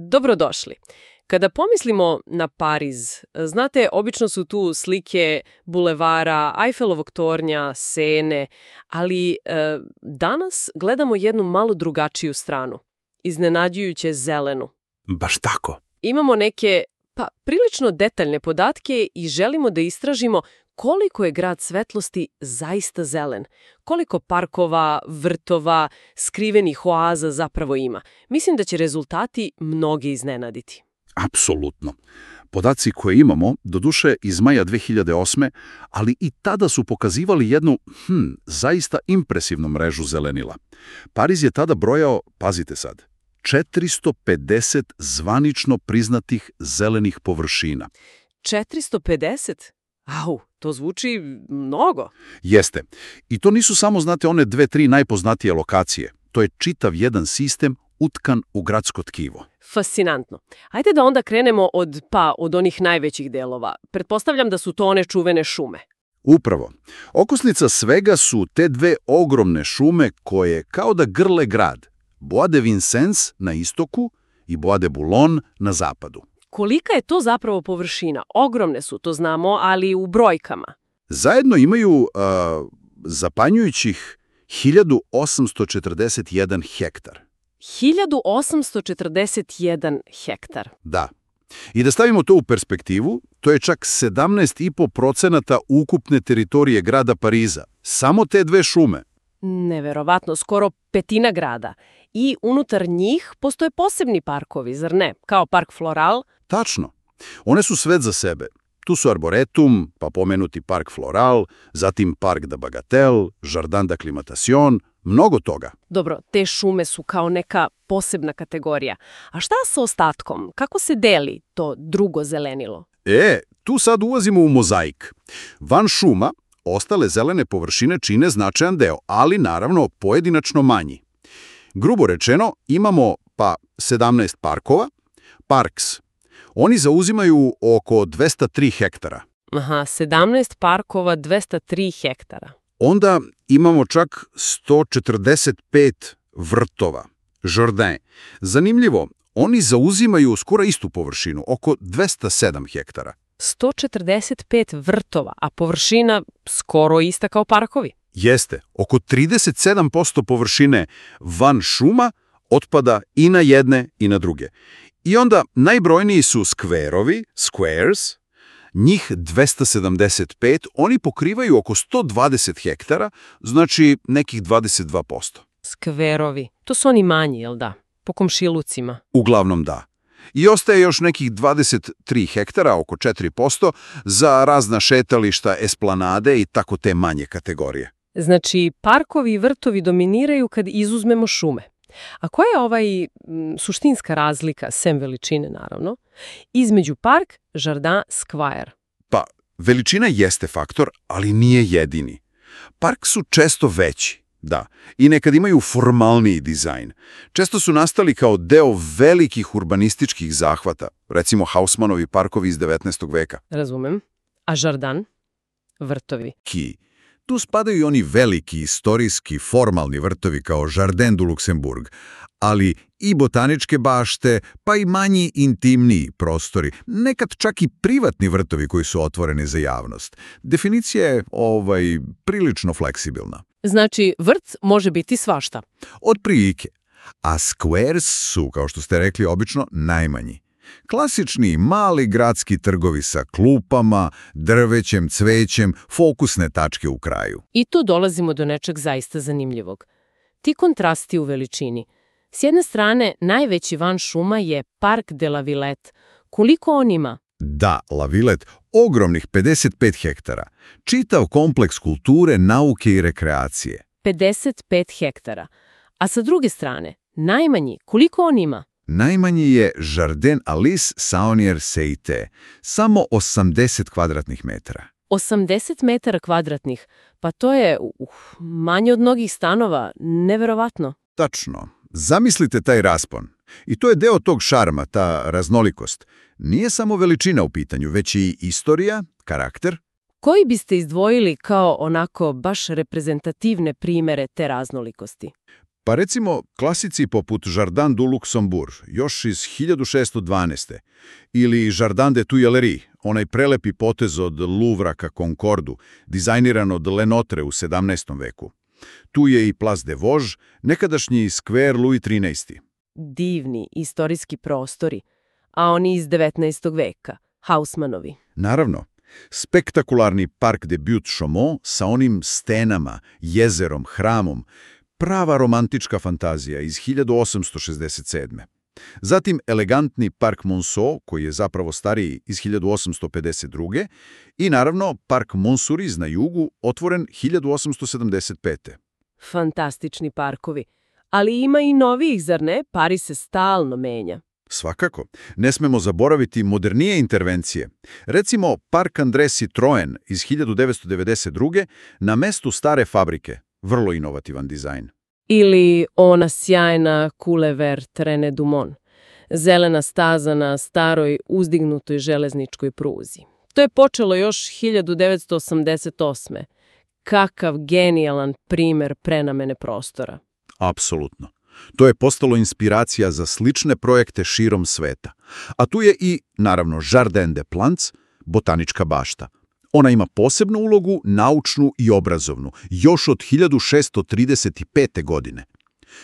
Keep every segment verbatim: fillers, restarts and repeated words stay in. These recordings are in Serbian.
Dobrodošli. Kada pomislimo na Pariz, znate, obično su tu slike bulevara, Eiffelovog tornja, Sene, ali e, danas gledamo jednu malo drugačiju stranu, iznenađujuće zelenu. Baš tako. Imamo neke, pa, prilično detaljne podatke i želimo da istražimo koliko je grad svetlosti zaista zelen, koliko parkova, vrtova, skrivenih oaza zapravo ima. Mislim da će rezultati mnogi iznenaditi. Apsolutno. Podaci koje imamo, doduše iz maja dve hiljade osme, ali i tada su pokazivali jednu, hm, zaista impresivnu mrežu zelenila. Pariz je tada brojao, pazite sad, četiristo pedeset zvanično priznatih zelenih površina. četiristo pedeset? Au, to zvuči mnogo. Jeste. I to nisu samo, znate, one dve, tri najpoznatije lokacije. To je čitav jedan sistem utkan u gradsko tkivo. Fascinantno. Ajde da onda krenemo od, pa, od onih najvećih delova. Pretpostavljam da su to one čuvene šume. Upravo. Okosnica svega su te dve ogromne šume koje kao da grle grad. Bois de Vincennes na istoku i Bois de Boulogne na zapadu. Kolika je to zapravo površina? Ogromne su, to znamo, ali u brojkama. Zajedno imaju uh, zapanjujućih hiljadu osamsto četrdeset jedan hektar. hiljadu osamsto četrdeset jedan hektar. Da. I da stavimo to u perspektivu, to je čak sedamnaest i po procenata ukupne teritorije grada Pariza. Samo te dve šume. Neverovatno, skoro petina grada. I unutar njih postoje posebni parkovi, zar ne? Kao park Floral. Tačno. One su svet za sebe. Tu su Arboretum, pa pomenuti park Floral, zatim park de Bagatelle, Jardin d'Acclimatation, mnogo toga. Dobro, te šume su kao neka posebna kategorija. A šta sa ostatkom? Kako se deli to drugo zelenilo? E, tu sad ulazimo u mozaik. Van šuma, ostale zelene površine čine značajan deo, ali naravno pojedinačno manji. Grubo rečeno, imamo pa sedamnaest parkova, parks. Oni zauzimaju oko dvesta tri hektara. Aha, sedamnaest parkova, dvesta tri hektara. Onda imamo čak sto četrdeset pet vrtova, jardin. Zanimljivo, oni zauzimaju skoro istu površinu, oko dvesta sedam hektara. sto četrdeset pet vrtova, a površina skoro ista kao parkovi. Jeste, oko trideset sedam posto površine van šuma otpada i na jedne i na druge. I onda najbrojniji su skverovi, squares, njih dvesta sedamdeset pet, oni pokrivaju oko sto dvadeset hektara, znači nekih dvadeset dva posto. Skverovi, to su oni manji, jel da? Po komšilucima. Uglavnom da. I ostaje još nekih dvadeset tri hektara, oko četiri posto, za razna šetališta, esplanade i tako te manje kategorije. Znači, parkovi i vrtovi dominiraju kad izuzmemo šume. A koja je ovaj m, suštinska razlika, sem veličine naravno, između park, jardin, square? Pa, veličina jeste faktor, ali nije jedini. Park su često veći, da, i nekad imaju formalniji dizajn. Često su nastali kao deo velikih urbanističkih zahvata, recimo Haussmannovi parkovi iz devetnaestog veka. Razumem. A jardin? Vrtovi. Ki. Tu spadaju i oni veliki, istorijski, formalni vrtovi kao Jardin du Luxembourg, ali i botaničke bašte, pa i manji, intimniji prostori, nekad čak i privatni vrtovi koji su otvoreni za javnost. Definicija je ovaj, prilično fleksibilna. Znači, vrt može biti svašta. Od prilike. A squares su, kao što ste rekli, obično najmanji. Klasični mali gradski trgovi sa klupama, drvećem, cvećem, fokusne tačke u kraju. I tu dolazimo do nečeg zaista zanimljivog. Ti kontrasti u veličini. S jedne strane, najveći van šuma je Park de la Villette. Koliko on ima? Da, La Villette, ogromnih pedeset pet hektara. Čitav kompleks kulture, nauke i rekreacije. pedeset pet hektara. A sa druge strane, najmanji, koliko on ima? Najmanji je Jardin Alice Saunier-Seite, samo osamdeset kvadratnih metara. osamdeset metara kvadratnih, pa to je uh, manje od mnogih stanova, neverovatno. Tačno. Zamislite taj raspon. I to je deo tog šarma, ta raznolikost. Nije samo veličina u pitanju, već i istorija, karakter. Koji biste izdvojili kao onako baš reprezentativne primere te raznolikosti? Pa recimo klasici poput Jardin du Luxembourg, još iz hiljadu šessto dvanaeste. Ili Jardin des Tuileries, onaj prelepi potez od Louvra ka Concordu, dizajniran od Lenotre u sedamnaestom veku. Tu je i Place des Vosges, nekadašnji skver Louis trinaesti. Divni istorijski prostori, a oni iz devetnaestog veka, Haussmannovi. Naravno, spektakularni Parc des Buttes-Chaumont sa onim stenama, jezerom, hramom, prava romantička fantazija iz hiljadu osamsto šezdeset sedme. Zatim elegantni Parc Monceau, koji je zapravo stariji, iz hiljadu osamsto pedeset druge. I naravno Parc Montsouris na jugu, otvoren hiljadu osamsto sedamdeset pete. Fantastični parkovi. Ali ima i novijih, zar ne? Pariz se stalno menja. Svakako. Ne smemo zaboraviti modernije intervencije. Recimo Parc André Citroën iz hiljadu devetsto devedeset druge. na mestu stare fabrike. Vrlo inovativan dizajn. Ili ona sjajna Coulevert René Dumont. Zelena staza na staroj uzdignutoj železničkoj pruzi. To je počelo još hiljadu devetsto osamdeset osme. Kakav genijalan primer prenamene prostora. Apsolutno. To je postalo inspiracija za slične projekte širom sveta. A tu je i, naravno, Jardin des Plantes, botanička bašta. Ona ima posebnu ulogu, naučnu i obrazovnu, još od hiljadu šessto trideset pete. godine.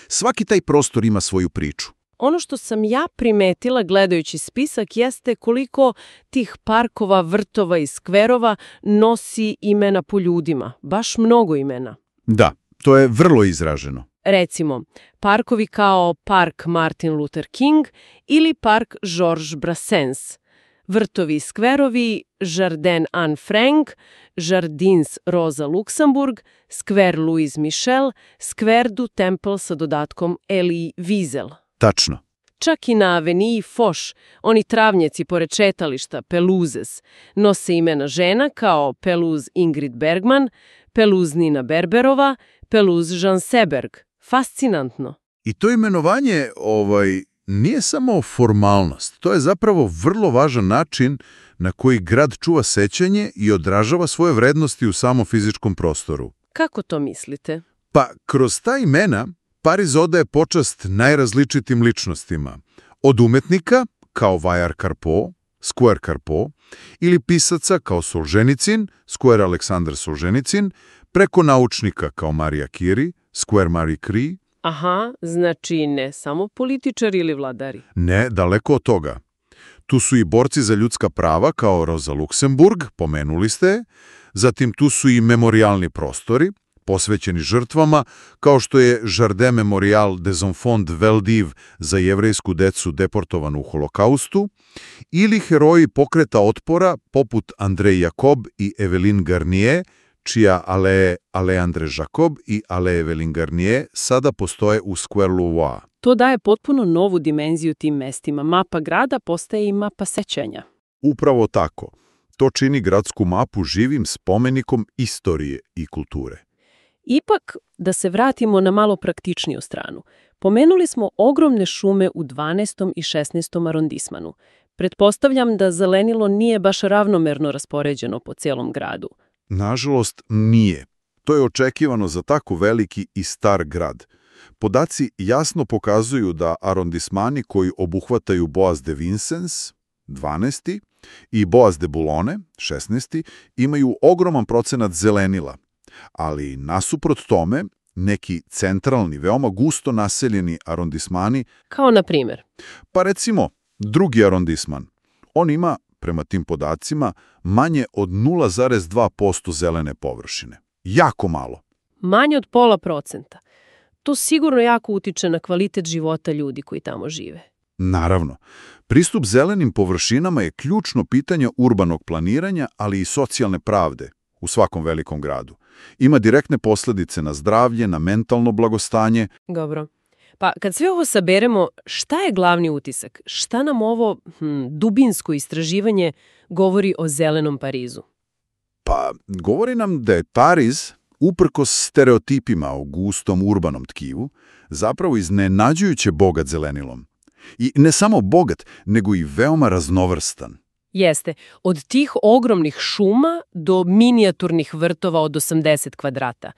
Svaki taj prostor ima svoju priču. Ono što sam ja primetila gledajući spisak jeste koliko tih parkova, vrtova i skverova nosi imena po ljudima. Baš mnogo imena. Da, to je vrlo izraženo. Recimo, parkovi kao Park Martin Luther King ili Park Georges Brassens, vrtovi i skverovi Jardin Anne Frank, Jardins Rosa Luxemburg, skver Louis Michel, skver du Temple sa dodatkom Elie Wiesel. Tačno. Čak i na aveniji Foch, oni travnjaci pored šetališta, Pelouzes, nose imena žena kao Pelouse Ingrid Bergman, Pelouse Nina Berberova, Pelouse Jean Seberg. Fascinantno. I to imenovanje ovaj, nije samo formalnost. To je zapravo vrlo važan način na koji grad čuva sećanje i odražava svoje vrednosti u samom fizičkom prostoru. Kako to mislite? Pa, kroz ta imena Pariz odaje počast najrazličitim ličnostima. Od umetnika, kao Vajar Carpeaux, Square Carpeaux, ili pisaca kao Solženicin, Square Aleksandar Solženicin, preko naučnika kao Marija Curie, Square Marie Curie. Aha, znači ne samo političari ili vladari. Ne, daleko od toga. Tu su i borci za ljudska prava kao Rosa Luxemburg, pomenuli ste, zatim tu su i memorialni prostori, posvećeni žrtvama, kao što je Jardin Memorial des Enfants Veldiv za jevrejsku decu deportovanu u holokaustu, ili heroji pokreta otpora poput André Jacob i Evelyn Garnier, čija ale Ale André Jacob i ale Evelyn Garnier sada postoje u Square Louvois. To daje potpuno novu dimenziju tim mestima. Mapa grada postaje i mapa sećanja. Upravo tako. To čini gradsku mapu živim spomenikom istorije i kulture. Ipak, da se vratimo na malo praktičniju stranu. Pomenuli smo ogromne šume u dvanaestom i šesnaestom arondismanu. Pretpostavljam da zelenilo nije baš ravnomerno raspoređeno po celom gradu. Nažalost, nije. To je očekivano za tako veliki i star grad. Podaci jasno pokazuju da arondismani koji obuhvataju Bois de Vincennes, dvanaesti, i Bois de Boulogne, šesnaesti, imaju ogroman procenat zelenila. Ali nasuprot tome, neki centralni, veoma gusto naseljeni arondismani... Kao na primjer? Pa recimo, drugi arondisman. On ima, prema tim podacima, manje od nula zarez dva posto zelene površine. Jako malo. Manje od pola procenta. To sigurno jako utiče na kvalitet života ljudi koji tamo žive. Naravno. Pristup zelenim površinama je ključno pitanje urbanog planiranja, ali i socijalne pravde u svakom velikom gradu. Ima direktne posljedice na zdravlje, na mentalno blagostanje. Dobro. Pa kad sve ovo saberemo, šta je glavni utisak? Šta nam ovo hm, dubinsko istraživanje govori o zelenom Parizu? Pa govori nam da je Pariz, uprkos stereotipima o gustom urbanom tkivu, zapravo iznenađujuće bogat zelenilom. I ne samo bogat, nego i veoma raznovrstan. Jeste. Od tih ogromnih šuma do minijaturnih vrtova od osamdeset kvadrata.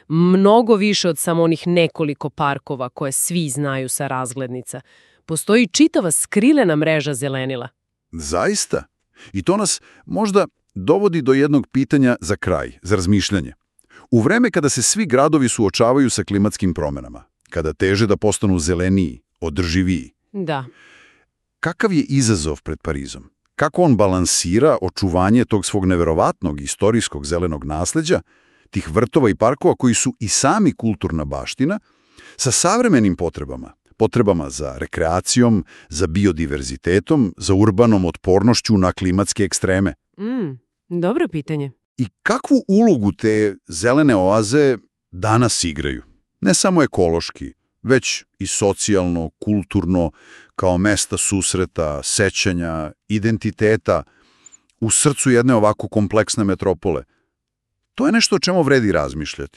Mnogo više od samo onih nekoliko parkova koje svi znaju sa razglednica. Postoji čitava skrilena mreža zelenila. Zaista. I to nas možda dovodi do jednog pitanja za kraj, za razmišljanje. U vreme kada se svi gradovi suočavaju sa klimatskim promenama, kada teže da postanu zeleniji, održiviji, Da. kakav je izazov pred Parizom? Kako on balansira očuvanje tog svog neverovatnog istorijskog zelenog nasleđa, tih vrtova i parkova koji su i sami kulturna baština, sa savremenim potrebama, potrebama za rekreacijom, za biodiverzitetom, za urbanom otpornošću na klimatske ekstreme? Mm, dobro pitanje. I kakvu ulogu te zelene oaze danas igraju? Ne samo ekološki, već i socijalno, kulturno, kao mesta susreta, sećanja, identiteta, u srcu jedne ovako kompleksne metropole. To je nešto o čemu vredi razmišljati.